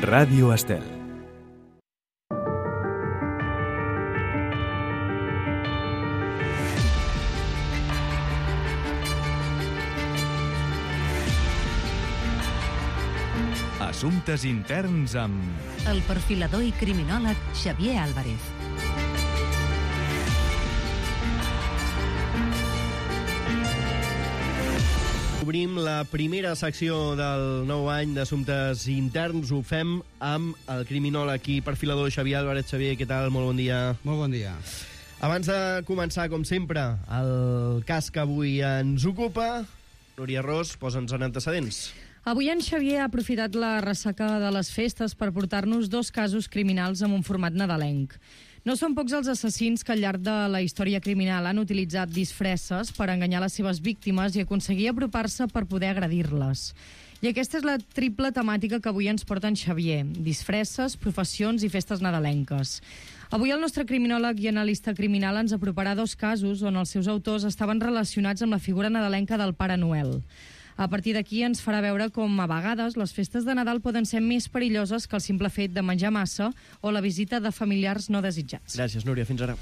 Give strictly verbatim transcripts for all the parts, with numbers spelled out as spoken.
Ràdio Estel. Assumptes interns amb... el perfilador i criminòleg Xavier Álvarez. Obrim la primera secció del nou any d'Assumptes Interns. Ho fem amb el criminòleg i perfilador Xavier Álvarez. Xavier, què tal? Molt bon dia. Molt bon dia. Abans de començar, com sempre, el cas que avui ens ocupa, Núria Ros, posa'ns en antecedents. Avui en Xavier ha aprofitat la ressaca de les festes per portar-nos dos casos criminals amb un format nadalenc. No són pocs els assassins que al llarg de la història criminal han utilitzat disfresses per enganyar les seves víctimes i aconseguir apropar-se per poder agredir-les. I aquesta és la triple temàtica que avui ens porta en Xavier: disfresses, professions i festes nadalenques. Avui el nostre criminòleg i analista criminal ens aproparà dos casos on els seus autors estaven relacionats amb la figura nadalenca del Pare Noel. A partir d'aquí ens farà veure com a vegades les festes de Nadal poden ser més perilloses que el simple fet de menjar massa o la visita de familiars no desitjats. Gràcies, Núria. Fins ara.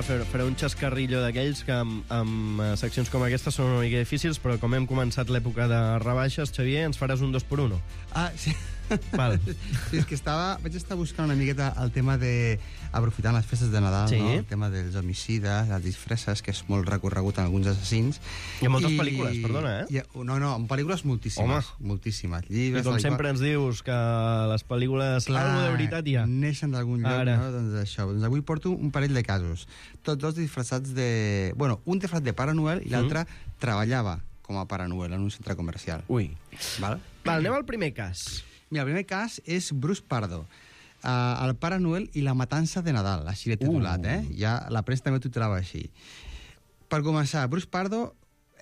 Faré un xascarrillo d'aquells que amb, amb seccions com aquesta són una mica difícils, però com hem començat l'època de rebaixes, Xavier, ens faràs un dos per uno. Ah, sí. Val. Sí, és que estava, vaig estar buscant una miqueta el tema de aprofitant les festes de Nadal, sí. No? El tema dels homicides, les disfresses, que és molt recorregut en alguns assassins. Hi ha moltes I... pel·lícules, perdona, eh? I... No, no, en pel·lícules moltíssimes. Home. Moltíssimes. Llibres, I com sempre ens dius que les pel·lícules, clar, algo de veritat hi ha. Neixen d'algun lloc, Ara. No? Doncs això. Doncs avui porto un parell de casos. Tots dos disfressats de... Bueno, un disfressat de Pare Noel i l'altre mm. treballava com a Pare Noel en un centre comercial. Ui. Val? Val, anem al primer cas. Mira, el primer cas és Bruce Pardo, uh, el Pare Noel i la matança de Nadal, així l'he titulat, uh. eh? Ja la premsa també ho titulava així. Per començar, Bruce Pardo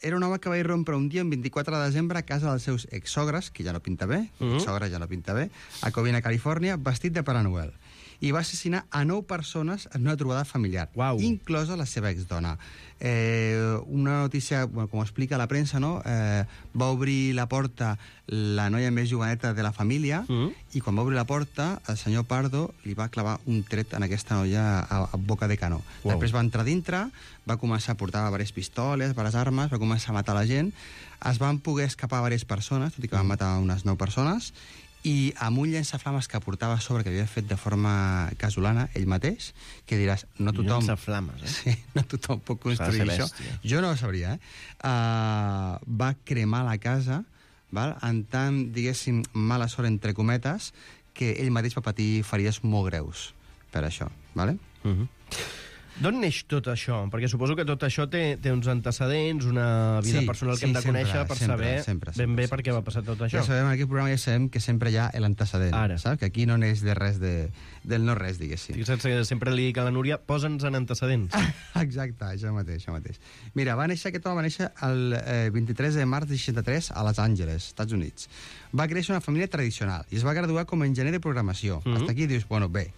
era un home que va irrompre un dia, el vint-i-quatre de desembre, a casa dels seus exsogres, que ja no pinta bé, uh -huh. exsogres ja no pinta bé, a Covina, Califòrnia, vestit de Pare Noel. I va assassinar a nou persones en una trobada familiar, Uau. inclosa la seva exdona. Eh, una notícia, bueno, com explica la premsa, no? Eh, va obrir la porta la noia més joveneta de la família mm. i quan va obrir la porta el senyor Pardo li va clavar un tret en aquesta noia a, a boca de canó. Uau. Després va entrar dintre, va començar a portar diverses pistoles, diverses armes, va començar a matar la gent, es van poder escapar diverses persones, tot i que van matar unes nou persones, i amb un llançaflames que portava a sobre, que havia fet de forma casolana ell mateix, que diràs, no tothom... Llançaflames, eh? Sí, no tothom pot construir això. Jo no ho sabria, eh? Uh, va cremar la casa, val? En tant, diguéssim, mala sort, entre cometes, que ell mateix va patir ferides molt greus per això, vale? Uh -huh. D'on neix tot això? Perquè suposo que tot això té, té uns antecedents, una vida sí, personal que sí, hem de sempre, conèixer per sempre, saber sempre, sempre, ben bé sempre, per què va passar tot això. Ja sabem, en aquest programa ja sabem que sempre hi ha l'antecedent, Ara. saps? Que aquí no neix de res de, del no res, diguéssim. Fixa't que sempre li dic a la Núria, posa'ns en antecedents. Exacte, això mateix, això mateix. Mira, va néixer, aquest home va néixer el eh, vint-i-tres de març de seixanta-tres a Los Angeles, Estats Units. Va créixer una família tradicional i es va graduar com a enginyer de programació. Mm-hmm. Hasta aquí dius, bueno, bé.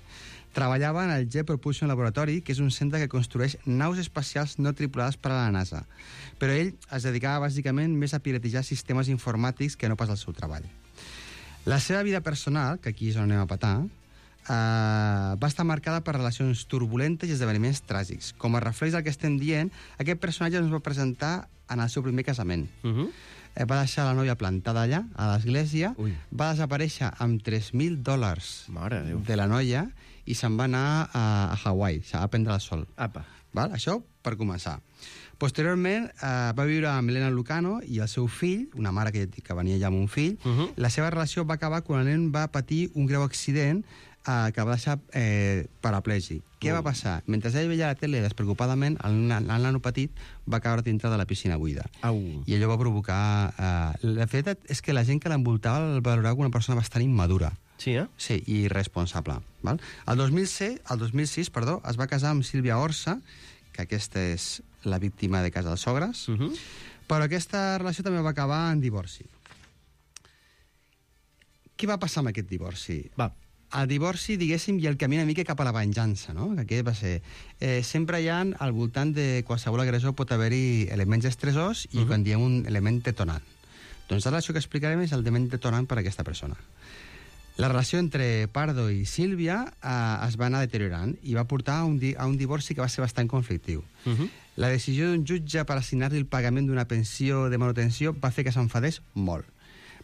Treballava en el Jet Propulsion Laboratory, que és un centre que construeix naus espacials no tripulades per a la NASA. Però ell es dedicava bàsicament més a piratejar sistemes informàtics que no pas al seu treball. La seva vida personal, que aquí és on anem a petar, eh, va estar marcada per relacions turbulentes i esdeveniments tràgics. Com a reflex del que estem dient, aquest personatge ens va presentar en el seu primer casament. Uh-huh. Va deixar la noia plantada allà, a l'església, Ui. va desaparèixer amb tres mil dòlars Mare Déu. de la noia i se'n va anar a, a Hawaii, a prendre el sol. Apa. Val? Això per començar. Posteriorment eh, va viure amb Elena Lucano i el seu fill, una mare que, que venia ja amb un fill. Uh-huh. La seva relació va acabar quan el nen va patir un greu accident eh, que va deixar eh, paraplègic. Què uh. va passar? Mentre ell veia la tele despreocupadament, el, el nano petit va caure dintre de la piscina buida. Au. I allò va provocar... Eh, la veritat és que la gent que l'envoltava el valorava com una persona bastant immadura. Sí, eh? Sí, i irresponsable. Val? El dos mil sis, el dos mil sis perdó, es va casar amb Sílvia Orsa, que aquesta és la víctima de casa dels sogres, uh-huh. però aquesta relació també va acabar en divorci. Què va passar amb aquest divorci? Va. El divorci, diguéssim, i el camí una mica cap a la venjança, no? Que aquest va ser... Eh, sempre hi ha, al voltant de qualsevol agressor pot haver-hi elements estressors i uh -huh. quan diem un element detonant. Doncs ara això que explicarem és el element detonant per a aquesta persona. La relació entre Pardo i Sílvia eh, es va anar deteriorant i va portar a un, di a un divorci que va ser bastant conflictiu. Uh -huh. La decisió d'un jutge per assignar-li el pagament d'una pensió de manutenció va fer que s'enfadés molt.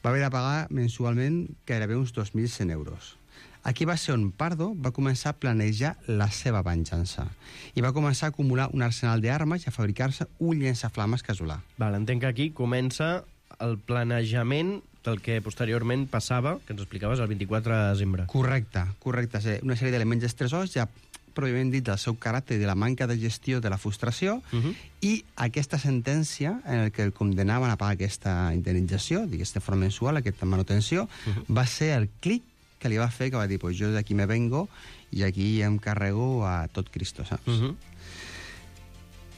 Va haver de pagar mensualment gairebé uns dos mil cent euros. Aquí va ser on Pardo va començar a planejar la seva venjança i va començar a acumular un arsenal d'armes i a fabricar-se un llançaflames casolà. Val, entenc que aquí comença el planejament del que posteriorment passava, que ens explicaves, el vint-i-quatre de desembre. Correcte, correcte. Sí, una sèrie d'elements estressors, ja pròpiament dit, del seu caràcter i de la manca de gestió de la frustració, uh -huh. i aquesta sentència en el que el condenaven a pagar aquesta indemnització, d'aquesta forma mensual, aquesta manutenció, uh -huh. va ser el clic que li va fer, que va dir, pues jo d'aquí me vengo i aquí em carrego a tot Cristo, saps? Uh -huh.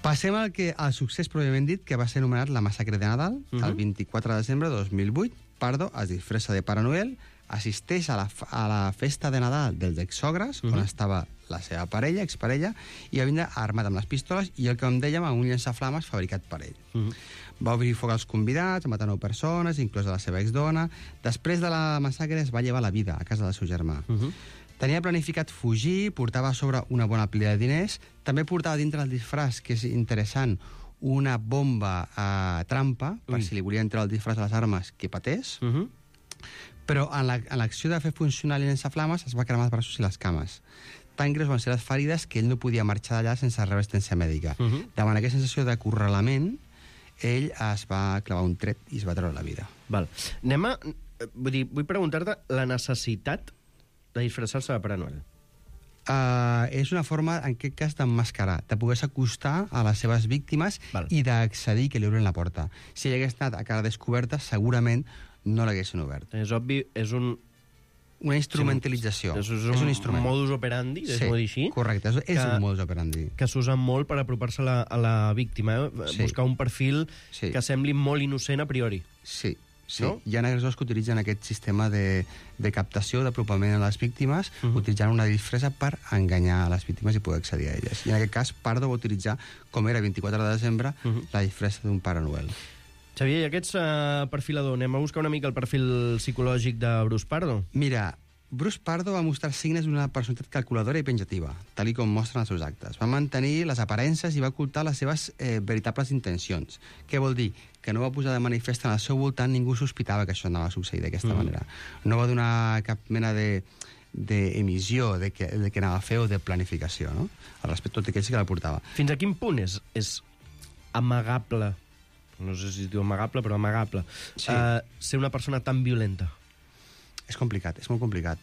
Passem al, que, al succés pròpiament dit, que va ser anomenat la massacre de Nadal, uh -huh. el vint-i-quatre de desembre de dos mil vuit. Pardo es disfressa de Pare Noel, assisteix a la, a la festa de Nadal dels exsogres, uh -huh. on estava la seva parella, exparella, i va vindre armat amb les pistoles i el que em dèiem, amb un llançaflames fabricat per ell. Uh -huh. Va obrir foc als convidats, matar nou persones, inclosa la seva exdona. Després de la massacre es va llevar la vida a casa del seu germà. Uh -huh. Tenia planificat fugir, portava a sobre una bona pila de diners, també portava dintre el disfraç, que és interessant, una bomba a trampa, per Ui. si li volia entrar el disfraç a les armes, que patés. Uh -huh. Però en l'acció la, de fer funcionar el llançaflames es va cremar els braços i les cames. Tan greus van ser les ferides que ell no podia marxar d'allà sense rebre assistència mèdica. Uh -huh. Davant aquesta sensació d'acorralament, ell es va clavar un tret i es va treure la vida. Val. Anem a... Vull dir, vull preguntar-te la necessitat de disfressar-se de Pare Noel. Uh, és una forma, en aquest cas, d'emmascarar, de poder acostar a les seves víctimes Val. i d'accedir que li obren la porta. Si ell hagués anat a cara descoberta, segurament no l'haguessin obert. És obvi, és un... Una instrumentalització. Sí, és, un, és un instrument. modus operandi, deixem-ho sí, dir així. Correcte, és, és que, un modus operandi. Que s'usa molt per apropar-se a, la, a la víctima, eh? sí. buscar un perfil sí. que sembli molt innocent a priori. Sí, sí. No? Hi ha agressors que utilitzen aquest sistema de, de captació, d'apropament a les víctimes, uh -huh. utilitzant una disfressa per enganyar a les víctimes i poder accedir a elles. I en aquest cas, Pardo va utilitzar, com era vint-i-quatre de desembre, uh -huh. la disfressa d'un Pare Noel. Xavier, i aquests uh, perfilador, anem a buscar una mica el perfil psicològic de Bruce Pardo? Mira, Bruce Pardo va mostrar signes d'una personalitat calculadora i penjativa, tal com mostren els seus actes. Va mantenir les aparences i va ocultar les seves eh, veritables intencions. Què vol dir? Que no va posar de manifest en el seu voltant, ningú sospitava que això anava a succeir d'aquesta mm. manera. No va donar cap mena de d'emissió de, de, que, de que anava a fer o de planificació, no? Al respecte tot aquell sí que la portava. Fins a quin punt és, és amagable, no sé si es diu amagable, però amagable, sí. uh, ser una persona tan violenta? És complicat, és molt complicat.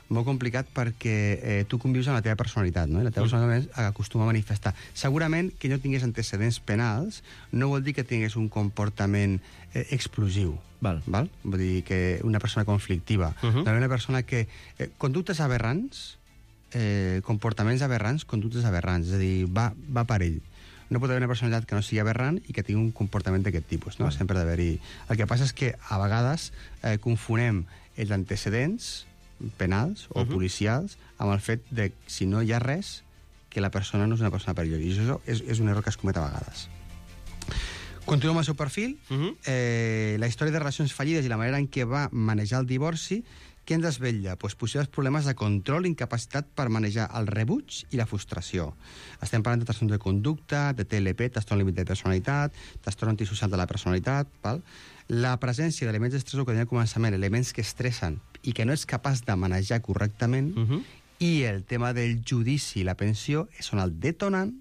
Molt complicat perquè eh, tu convius amb la teva personalitat, no? I la teva mm. personalitat acostuma a manifestar. Segurament que no tingués antecedents penals no vol dir que tingués un comportament eh, explosiu. Val. Val? Vull dir que una persona conflictiva. Uh -huh. Una persona que... Eh, conductes aberrants, eh, comportaments aberrants, conductes aberrants. És a dir, va, va per ell. No pot haver una personalitat que no sigui aberrant i que tingui un comportament d'aquest tipus, no? Val. Sempre d'haver-hi... El que passa és que a vegades eh, confonem els antecedents penals o uh -huh. policials amb el fet de, si no hi ha res, que la persona no és una persona perillosa. I això és, és un error que es comet a vegades. Continuem amb el seu perfil. Uh -huh. eh, la història de relacions fallides i la manera en què va manejar el divorci, què ens desvetlla? Pues possibles problemes de control i incapacitat per manejar el rebuig i la frustració. Estem parlant de trastorn de conducta, de T L P, trastorn límit de personalitat, trastorn antisocial de la personalitat, val? La presència d'elements d'estressor que tenia al començament, elements que estressen i que no és capaç de manejar correctament, uh -huh. i el tema del judici i la pensió són el detonant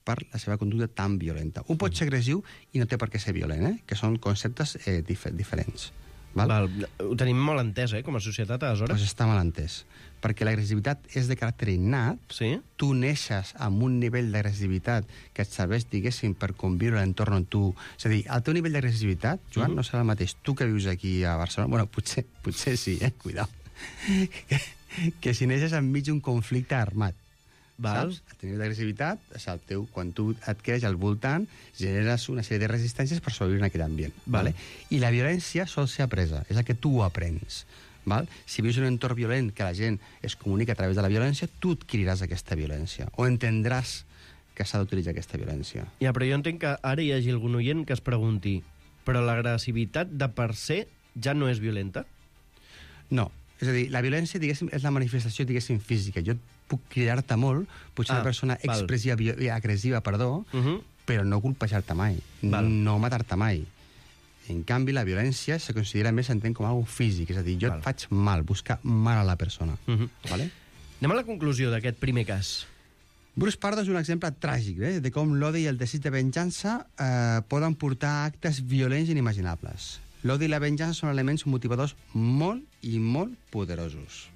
per la seva conducta tan violenta. Un pot ser agressiu i no té per què ser violent, eh? Que són conceptes eh, dif diferents. Val? Val. Ho tenim molt entès, eh, com a societat, aleshores? Pues està mal entès. Perquè l'agressivitat és de caràcter innat. Sí? Tu neixes amb un nivell d'agressivitat que et serveix, diguéssim, per conviure a l'entorn on tu... És a dir, el teu nivell d'agressivitat, Joan, mm. no serà el mateix. Tu que vius aquí a Barcelona... Bueno, potser, potser sí, eh? Cuidao. que, que si neixes enmig d'un conflicte armat. Val. Saps? El teu nivell d'agressivitat, el teu, quan tu et creix al voltant, generes una sèrie de resistències per sobreviure en aquell ambient. Val. Vale? I la violència sol ser apresa, és el que tu aprens. Val? Si vius en un entorn violent que la gent es comunica a través de la violència, tu adquiriràs aquesta violència, o entendràs que s'ha d'utilitzar aquesta violència. Ja, però jo entenc que ara hi hagi algun oient que es pregunti però l'agressivitat de per se ja no és violenta? No. És a dir, la violència, diguéssim, és la manifestació, diguéssim, física. Jo puc cridar-te molt, potser Ah, una persona val. expressiva, vi- agressiva, perdó, Uh -huh. però no colpejar-te mai, Val. no matar-te mai. En canvi, la violència se considera més, s'entén com algo físic, és a dir, jo Val. et faig mal, buscar mal a la persona. Uh -huh. Vale? Anem a la conclusió d'aquest primer cas. Bruce Pardo és un exemple tràgic eh, de com l'odi i el desig de venjança eh, poden portar a actes violents inimaginables. L'odi i la venjança són elements motivadors molt i molt poderosos.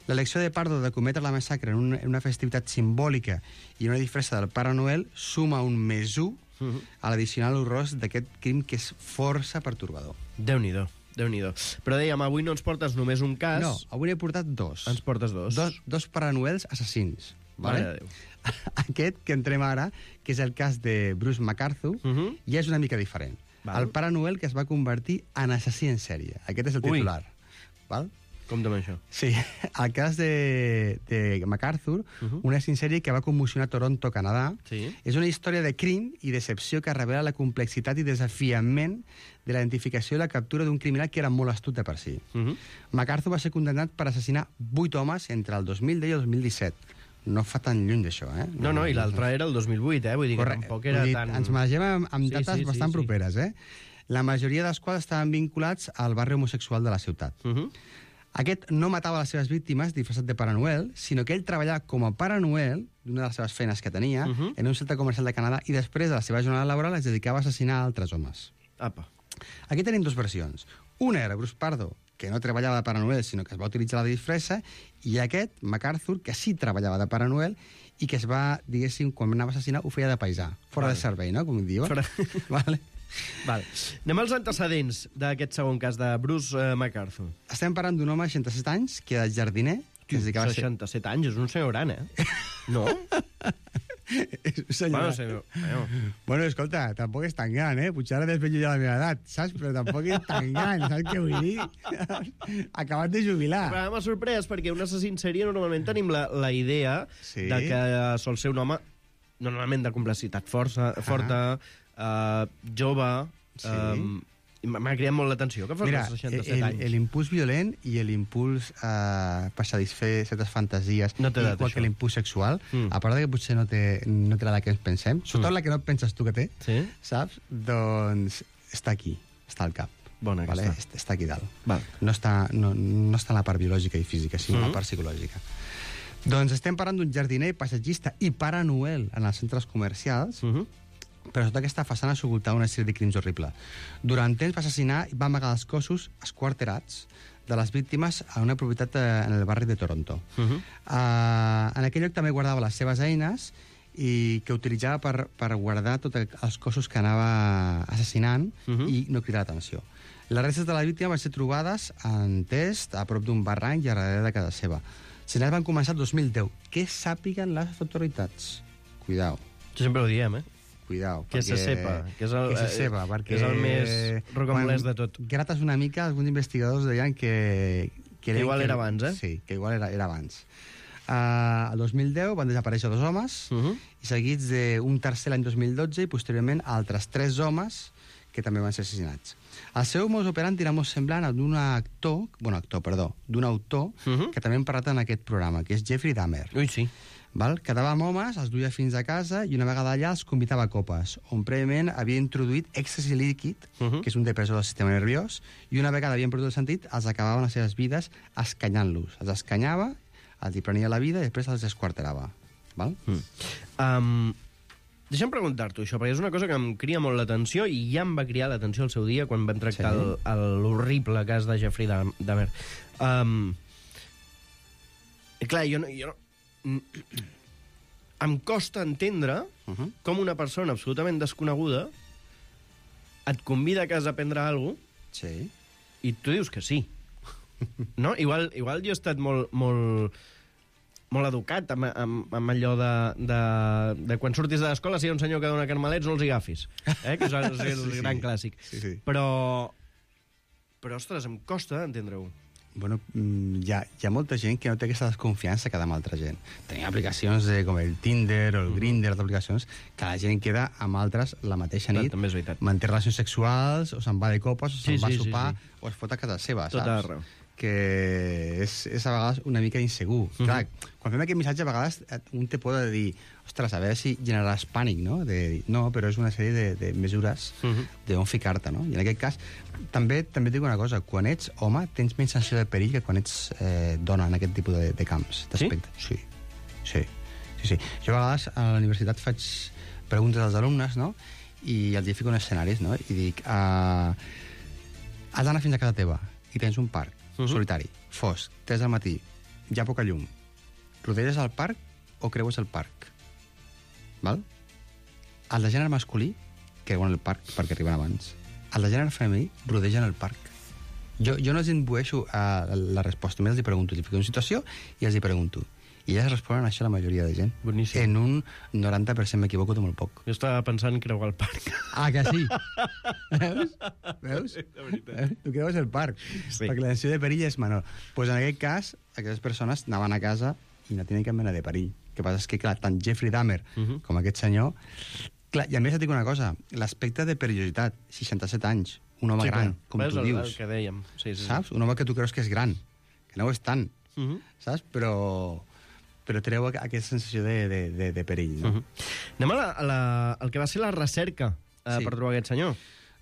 L'elecció de Pardo de cometre la massacre en una, en una festivitat simbòlica i una disfressa del Pare Noel suma un més un Uh -huh. a l'addicional horror d'aquest crim que és força pertorbador. Déu-n'hi-do, Déu-n'hi-do. Però dèiem, avui no ens portes només un cas, No, avui n'he portat dos. ens portes dos. Dos, dos Pare Noels assassins. Mare Vale? de Déu. Aquest que entrem ara, que és el cas de Bruce MacArthur, Uh -huh. ja és una mica diferent. Val. El Pare Noel que es va convertir en assassí en sèrie. Aquest és el Ui. titular. Val? Com amb això? Sí, el cas de, de MacArthur, Uh -huh. una assassí en sèrie que va commocionar Toronto, Canadà, Sí. és una història de crim i decepció que revela la complexitat i desafiament de la identificació i la captura d'un criminal que era molt astut de per si. Uh -huh. MacArthur va ser condemnat per assassinar vuit homes entre el dos mil deu i el dos mil disset. No fa tan lluny d'això, eh? No, no, i l'altre era el dos mil vuit, eh? Vull dir que Correcte. tampoc era Vull dir, tan... Ens manegem amb, amb Sí, dates sí, sí, bastant sí. properes, eh? La majoria dels quals estaven vinculats al barri homosexual de la ciutat. Uh -huh. Aquest no matava les seves víctimes disfressat de Pare Noel, sinó que ell treballava com a Pare Noel, d'una de les seves feines que tenia, Uh -huh. en un centre comercial de Canadà, i després de la seva jornada laboral es dedicava a assassinar altres homes. Apa. Aquí tenim dues versions. Una era Bruce Pardo, que no treballava de Pare Noel, sinó que es va utilitzar la disfressa, i aquest, MacArthur, que sí treballava de Pare Noel i que es va, diguéssim, quan anava a assassinar, ho feia de paisà, fora Vale. de servei, no?, com diuen. Fora- Vale. Vale. Anem als antecedents d'aquest segon cas de Bruce uh, MacArthur. Estem parlant d'un home de seixanta-set anys, que era jardiner, que es dedicava a ser... seixanta-set anys, és un senyor gran, eh? No? Senyor... Bueno, senyor... Bueno. Bueno, escolta, tampoc és tan gran, eh? Potser ara desvetllo ja la meva edat, saps? Però tampoc és tan gran, saps què vull dir? Acabat de jubilar. Però m'ha sorprès perquè un assassí en sèrie normalment tenim la, la idea Sí. de que sol ser un home normalment de complexitat força, forta, uh, jove... Sí. Um, i m'ha cridat molt l'atenció que fos Mira, als seixanta-set el- anys. l'impuls violent i l'impuls eh, per satisfer certes fantasies, No té edat, igual això. que l'impuls sexual, Mm. a part de que potser no té, no té l'edat que ens pensem, sobretot Mm. la que no penses tu que té, Sí? saps? Doncs està aquí, està al cap. Bona Vale? aquesta. Est- Està aquí dalt. Val. No està, no, no està en la part biològica i física, sinó en Mhm. la part psicològica. Doncs estem parlant d'un jardiner, passatgista i Pare Noel en els centres comercials, Uh -huh. però sota aquesta façana s'ocultava una sèrie de crims horribles. Durant temps va assassinar i va amagar els cossos esquarterats de les víctimes a una propietat eh, en el barri de Toronto. Uh -huh. Uh, en aquell lloc també guardava les seves eines i que utilitzava per, per guardar tots els cossos que anava assassinant Uh -huh. i no cridar l'atenció. Les restes de la víctima van ser trobades en test a prop d'un barranc i a darrere de casa seva. Se n'hi van començar el dos mil deu. Que sàpiguen les autoritats. Cuidao. Sempre ho diem, eh? Cuidao. Que se sepa, que és el- que se eh, sepa, perquè... que és el més rocambolès de tot. Quan grates una mica, alguns investigadors deien que... Que igual era abans, eh? Sí, que igual era, era abans. Uh, el dos mil deu van desaparèixer dos homes, Uh -huh. i seguits d'un tercer l'any dos mil dotze, i posteriorment altres tres homes que també van ser assassinats. El seu modus operandi era molt semblant al d'un actor, bueno, actor, perdó, d'un autor, Uh -huh. que també hem parlat en aquest programa, que és Jeffrey Dahmer. Ui, sí. Val? Quedava amb homes, els duia fins a casa i una vegada allà els convidava a copes, on prèviament havia introduït èxtasi líquid, Uh -huh. que és un depressor del sistema nerviós, i una vegada havien perdut el sentit, els acabaven les seves vides escanyant-los. Els escanyava, els hi prenia la vida i després els esquarterava. Val? Mm. Um, deixa'm preguntar-t'ho, això, perquè és una cosa que em cria molt l'atenció i ja em va criar l'atenció el seu dia quan vam tractar Sí. el- el- l'horrible cas de Jeffrey Dam- Dahmer. Um, clar, jo no... Jo no em costa entendre Uh -huh. com una persona absolutament desconeguda et convida a casa a prendre alguna cosa Sí. i tu dius que sí. No? Igual, igual jo he estat molt, molt, molt educat amb, amb, amb allò de, de, de quan surtis de l'escola, si hi ha un senyor que dona carmelets, no els hi agafis. Eh? Que és el, és el Sí, sí. gran clàssic. Sí, sí. Però, però, ostres, em costa entendre-ho. Bueno, mm, hi ha, hi ha molta gent que no té aquesta desconfiança que amb altra gent. Tenim aplicacions de, com el Tinder o el Grindr, d'aplicacions, que la gent queda amb altres la mateixa nit, També és veritat. manté relacions sexuals, o se'n va de copes, o se'n Sí, va sí, a sí, sopar, sí. o es fot a casa seva, Tot saps? arreu. Que és, és a vegades una mica insegur. Mm -hmm. Clar, quan fem aquest missatge, a vegades un te pot dir, ostres, a veure si generaràs pànic, no? De dir, no, però és una sèrie de, de mesures Mm -hmm. d'on ficar-te, no? I en aquest cas, també també et dic una cosa, quan ets home, tens menys sensació de perill que quan ets eh, dona en aquest tipus de, de camps, d'aspecte. Sí? sí? Sí. Sí, sí. Jo a vegades a la universitat faig preguntes als alumnes, no? I els hi fico en escenaris, no? I dic, uh, has d'anar fins a casa teva i tens un parc uh -huh. solitari, fosc, tres del matí, hi ha poca llum. Rodeges el parc o creues el parc? Val? Els de gènere masculí creuen el parc perquè arriben abans. Els de gènere femení rodegen el parc. Jo, jo no els imbueixo a la resposta, només els hi pregunto, els fico en situació i els hi pregunto. I elles responen això a la majoria de gent. Boníssim. En un noranta per cent m'equivoco de molt poc. Jo estava pensant creuar el parc. Ah, que sí? Veus? Veus? Eh? Tu creues el parc. Sí. Perquè la sensació de perill és menor. Doncs pues en aquest cas, aquestes persones anaven a casa i no tenien cap mena de perill. El que passa és que, clar, tant Jeffrey Dahmer uh -huh. com aquest senyor... Clar, i a més et dic una cosa, l'aspecte de perillositat, seixanta-set anys, un home Sí, gran, clar. com És tu el, dius, el que dèiem. Sí, sí, sí. saps? Un home que tu creus que és gran, que no ho és tant, Uh -huh. saps? Però, però treu aquesta sensació de, de, de, de perill, no? Uh -huh. Anem a la, a la, el que va ser la recerca eh, Sí. per trobar aquest senyor.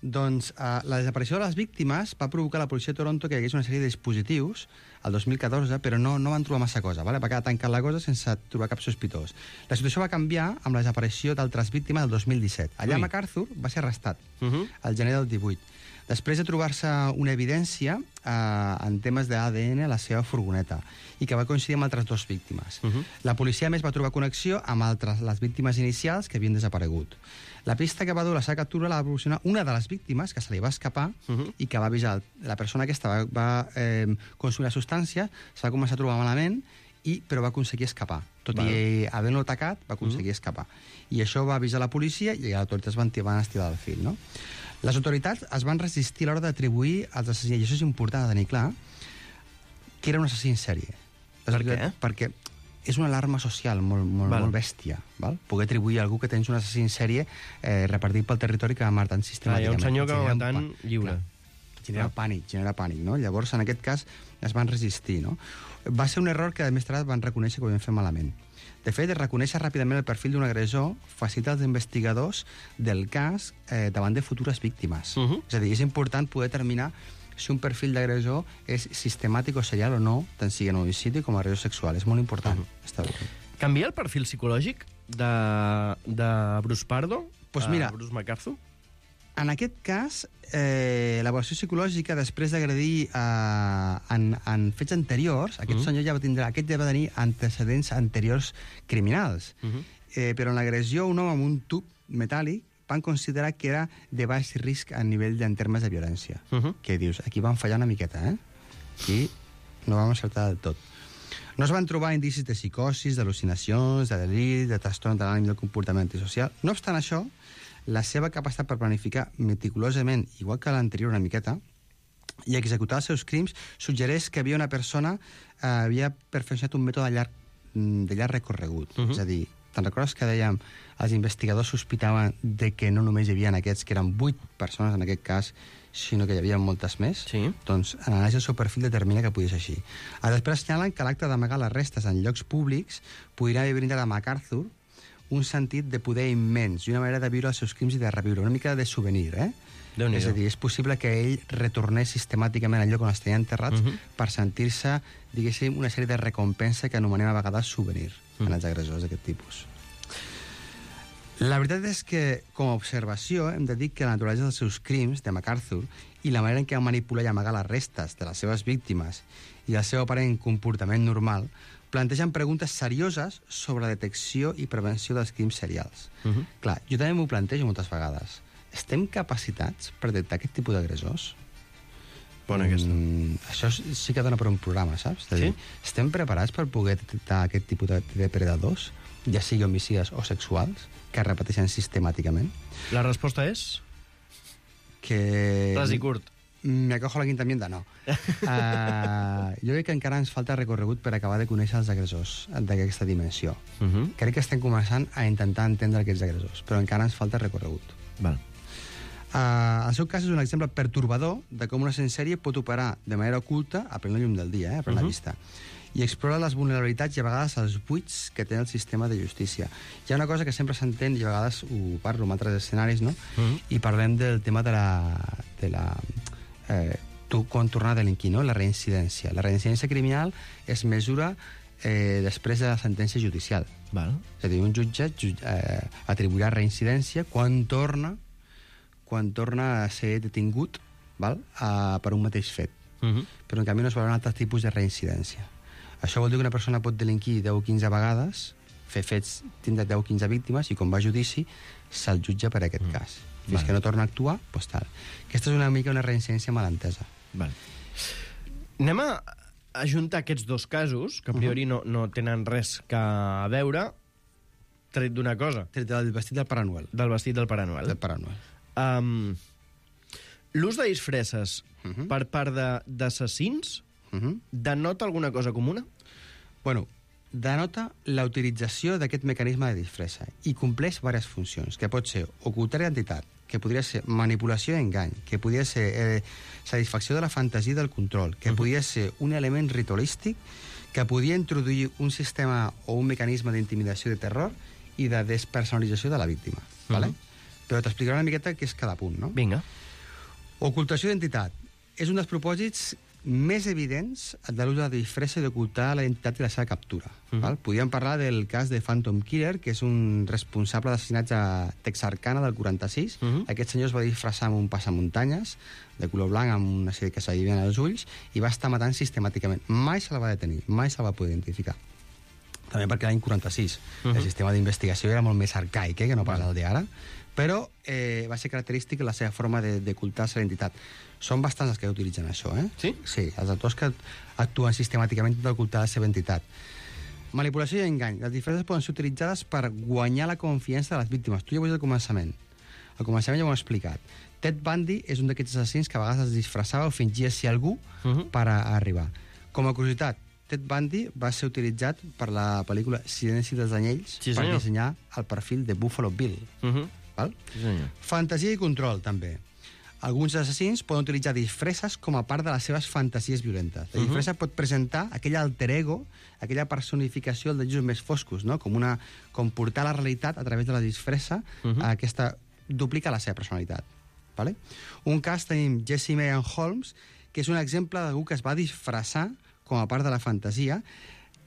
Doncs uh, la desaparició de les víctimes va provocar a la policia de Toronto que hi hagués una sèrie de dispositius el dos mil catorze, però no, no van trobar massa cosa, vale? Va quedar tancat la cosa sense trobar cap sospitós. La situació va canviar amb la desaparició d'altres víctimes el dos mil disset. Allà Ui. MacArthur va ser arrestat Uh -huh. al gener del divuit. Després de trobar-se una evidència eh, en temes d'A D N a la seva furgoneta i que va coincidir amb altres dues víctimes. Uh -huh. La policia, a més, va trobar connexió amb altres, les víctimes inicials que havien desaparegut. La pista que va dur la seva captura la va proporcionar una de les víctimes que se li va escapar Uh -huh. i que va avisar la persona aquesta va, va eh, consumir la substància, se va començar a trobar malament, i, però va aconseguir escapar. Tot Val. i havent-lo atacat, va aconseguir Uh-huh. escapar. I això va avisar la policia i les autoritats van, van estirar el fil, no? Les autoritats es van resistir a l'hora d'atribuir als assassins, i això és important de tenir clar, que era un assassí en sèrie. Les Per autoritats- què? Perquè és una alarma social molt, molt, Val. molt bèstia, val? Poder atribuir a algú que tens un assassí en sèrie eh, repartit pel territori que va matant Ah, hi sistemàticament. ha un senyor que va Genera un matant pa- lliure. Clar, genera pànic, genera pànic, no? Llavors, en aquest cas, es van resistir, no? Va ser un error que, més tard, van reconèixer que ho havien fet malament. De fet, reconèixer ràpidament el perfil d'un agressor facilita als investigadors del cas eh, davant de futures víctimes. Uh -huh. És a dir, és important poder determinar si un perfil d'agressor és sistemàtic o serial o no, tant sigui en homicidi com agressió sexual. És molt important. Uh -huh. Està bé. Canvia el perfil psicològic de, de Bruce Pardo Pues a mira, Bruce MacArthur? En aquest cas, eh, l'avaluació psicològica, després d'agredir eh, en, en fets anteriors, aquest Mhm. senyor ja va tindre, aquest ja va tenir antecedents anteriors criminals. Uh -huh. eh, però en l'agressió a un home amb un tub metàl·lic van considerar que era de baix risc a nivell en termes de violència. Uh -huh. Que dius, aquí van fallar una miqueta, eh? Aquí no vam acertar del tot. No es van trobar indicis de psicosis, d'al·lucinacions, de delit, de trastorn de l'ànim i del comportament antisocial. No obstant això, la seva capacitat per planificar meticulosament, igual que l'anterior una miqueta, i executar els seus crims, suggereix que havia una persona eh, havia perfeccionat un mètode de llarg, de llarg recorregut. Uh -huh. És a dir, te'n recordes que dèiem els investigadors sospitaven de que no només hi havia aquests, que eren vuit persones en aquest cas, sinó que hi havia moltes més? Sí. Doncs en l'anàlisi del seu perfil determina que podia ser així. A després assenyalen que l'acte d'amagar les restes en llocs públics podria haver brindat a MacArthur un sentit de poder immens i una manera de viure els seus crims i de reviure, una mica de souvenir, eh? Déu-n'hi-do. És a dir, és possible que ell retornés sistemàticament al lloc on els tenia enterrats Uh -huh. per sentir-se, diguéssim, una sèrie de recompensa que anomenem a vegades souvenir Uh -huh. en els agressors d'aquest tipus. La veritat és que, com a observació, hem de dir que la naturalesa dels seus crims, de MacArthur, i la manera en què va manipular i amagar les restes de les seves víctimes i el seu aparent comportament normal plantegen preguntes serioses sobre la detecció i prevenció dels crims serials. Uh -huh. Clar, jo també m'ho plantejo moltes vegades. Estem capacitats per detectar aquest tipus d'agressors? Bona aquesta. Mm, això sí que dona per un programa, saps? És a dir, Sí? estem preparats per poder detectar aquest tipus de depredadors, ja sigui homicides o sexuals, que es repeteixen sistemàticament? La resposta és... Que... Ras i curt. me acojo la quinta enmienda, no. Uh, jo crec que encara ens falta recorregut per acabar de conèixer els agressors d'aquesta dimensió. Uh -huh. Crec que estem començant a intentar entendre aquests agressors, però encara ens falta recorregut. Val. Uh, el seu cas és un exemple pertorbador de com una sèrie pot operar de manera oculta a plena llum del dia, eh, a plena uh -huh. vista, i explora les vulnerabilitats i a vegades els buits que té el sistema de justícia. Hi ha una cosa que sempre s'entén, i a vegades ho parlo en altres escenaris, no? Uh -huh. I parlem del tema de la... De la eh, tu, quan tornar a delinquir, no? La reincidència. La reincidència criminal es mesura eh, després de la sentència judicial. Val. És a dir, un jutge eh, atribuirà reincidència quan torna quan torna a ser detingut, val? Uh, per un mateix fet. Uh -huh. Però en canvi no es veuran altres tipus de reincidència. Això vol dir que una persona pot delinquir deu o quinze vegades, fer fets, tindre deu o quinze víctimes, i quan va a judici se'l jutja per aquest mm. cas. Fins vale. que no torna a actuar, doncs tal. Aquesta és una mica una reincidència mal entesa. Vale. Anem a ajuntar aquests dos casos, que a priori uh -huh. no, no tenen res que a veure, tret d'una cosa. Tret del vestit del Pare Noel. Del vestit del Pare Noel. Del Pare Noel. Um, L'ús de disfresses uh -huh. per part d'assassins uh -huh. denota alguna cosa comuna? Bueno, denota la utilització d'aquest mecanisme de disfressa i compleix diverses funcions, que pot ser ocultar identitat, que podria ser manipulació i engany, que podria ser eh, satisfacció de la fantasia del control, que uh -huh. podria ser un element ritualístic, que podia introduir un sistema o un mecanisme d'intimidació de terror i de despersonalització de la víctima. Uh -huh. Vale? Però t'explicaré una miqueta què és cada punt, no? Vinga. Ocultació d'identitat. És un dels propòsits més evidents de l'ús de la disfressa i d'ocultar la identitat i la seva captura. Uh -huh. Val? Podríem parlar del cas de Phantom Killer, que és un responsable d'assassinats a Texarkana del quaranta-sis. Uh -huh. Aquest senyor es va disfressar amb un passamuntanyes de color blanc amb una sèrie que s'adivien als ulls i va estar matant sistemàticament. Mai se la va detenir, mai se la va poder identificar. També perquè l'any quaranta-sis uh -huh. el sistema d'investigació era molt més arcaic, eh, que no pas el d'ara, però eh, va ser característic la seva forma d'ocultar-se la identitat. Són bastants els que utilitzen això, eh? Sí? Sí, els autors que actuen sistemàticament d'ocultar la seva identitat. Manipulació i engany. Les disfresses poden ser utilitzades per guanyar la confiança de les víctimes. Tu ja ho veus al començament. Al començament ja ho hem explicat. Ted Bundy és un d'aquests assassins que a vegades es disfressava o fingia ser algú uh -huh. per a arribar. Com a curiositat, Ted Bundy va ser utilitzat per la pel·lícula Silenci dels Anyells sí, per dissenyar el perfil de Buffalo Bill. Uh -huh. Val? Sí, senyor. Fantasia i control, també. Alguns assassins poden utilitzar disfresses com a part de les seves fantasies violentes. La disfressa uh -huh. pot presentar aquell alter ego, aquella personificació dels llums més foscos, no? Com, una, com portar la realitat a través de la disfressa, uh -huh. a aquesta duplica la seva personalitat. Vale? Un cas tenim Jesse Marian Holmes, que és un exemple d'algú que es va disfressar com a part de la fantasia.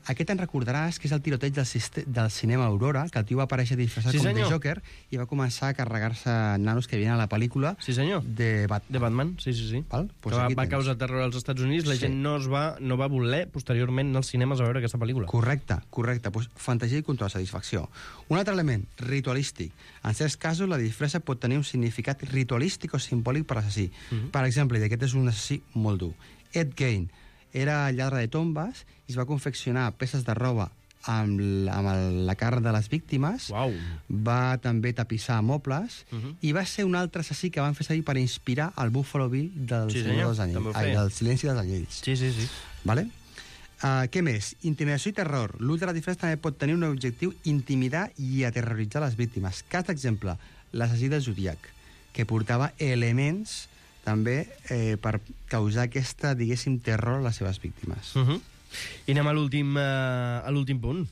Aquest en recordaràs que és el tiroteig del, del cinema Aurora, que el tio va aparèixer disfressat sí, com senyor. de Joker i va començar a carregar-se nanos que havien a la pel·lícula sí, senyor. de, Bat de Batman. Sí, sí, sí. Val? Pues que va, va causar terror als Estats Units. La sí. gent no, es va, no va voler posteriorment anar als cinemes a veure aquesta pel·lícula. Correcte, correcte. Pues, fantasia i control, satisfacció. Un altre element, ritualístic. En certs casos, la disfressa pot tenir un significat ritualístic o simbòlic per l'assassí. Uh -huh. Per exemple, i aquest és un assassí molt dur. Ed Gein era lladre de tombes i es va confeccionar peces de roba amb, amb el, la carn de les víctimes. Uau. Va també tapissar mobles uh -huh. i va ser un altre assassí que van fer servir per inspirar el Buffalo Bill del, sí, dels Anyells, ai, del Silenci dels Anyells. Sí, sí, sí. Vale? Uh, què més? Intimidació i terror. L'ús de la disfressa també pot tenir un objectiu intimidar i aterroritzar les víctimes. Cas d'exemple, l'assassí del Zodiac, que portava elements també eh, per causar aquesta, diguéssim, terror a les seves víctimes. Uh -huh. I anem a l'últim uh, a l'últim punt.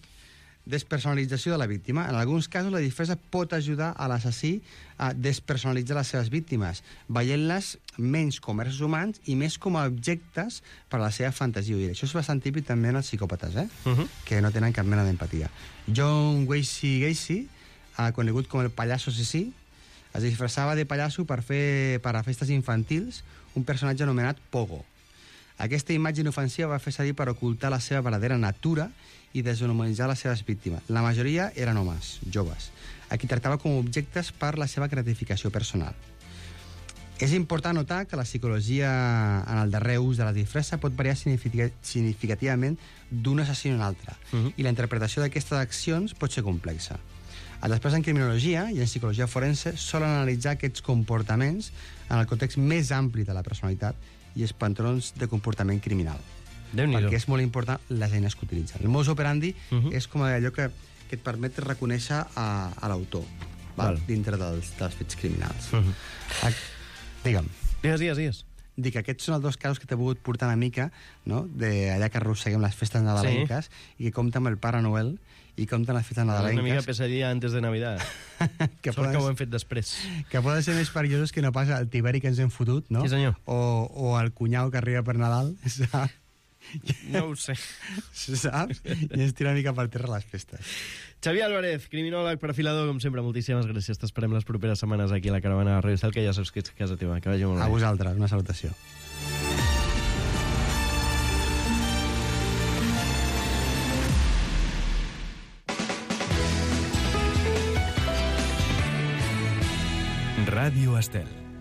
Despersonalització de la víctima. En alguns casos, la disfressa pot ajudar a l'assassí a despersonalitzar les seves víctimes, veient-les menys com éssers humans i més com a objectes per a la seva fantasia. I això és bastant típic també en els psicòpates, eh? Uh -huh. que no tenen cap mena d'empatia. John Wayne Gacy, uh, conegut com el pallasso assassí, es disfressava de pallasso per fer per a festes infantils un personatge anomenat Pogo. Aquesta imatge inofensiva va fer servir per ocultar la seva verdadera natura i deshumanitzar les seves víctimes. La majoria eren homes, joves, a qui tractava com objectes per la seva gratificació personal. És important notar que la psicologia en el darrer ús de la disfressa pot variar significativament d'un assassí a un altre, uh -huh. i la interpretació d'aquestes accions pot ser complexa. Després, en criminologia i en psicologia forense, solen analitzar aquests comportaments en el context més ampli de la personalitat i els patrons de comportament criminal. Déu-n'hi-do. Perquè és molt important les eines que utilitzen. El modus operandi uh -huh. és com allò que, que et permet reconèixer a, a l'autor dintre dels, dels fets criminals. Uh -huh. a, digue'm. Digues, digues, digues. Dic que aquests són els dos casos que t'he volgut portar una mica, no?, d'allà que arrosseguem les festes nadalenques, sí, i que compta amb el Pare Noel i compten les festes nadalenques. Una mica pesadilla antes de Navidad. que Sort poden, que ho hem fet després. Que poden ser més perillosos que no pas el tiberi que ens hem fotut, no? Sí, senyor. O, o el cunyau que arriba per Nadal, saps? No ho sé. Saps? I ens tira una mica per terra les festes. Xavier Álvarez, criminòleg, perfilador, com sempre, moltíssimes gràcies. T'esperem les properes setmanes aquí a la caravana de Radio Estel, que ja saps que ets a casa teva. Que vagi molt bé. A vosaltres, una salutació. Ràdio Estel.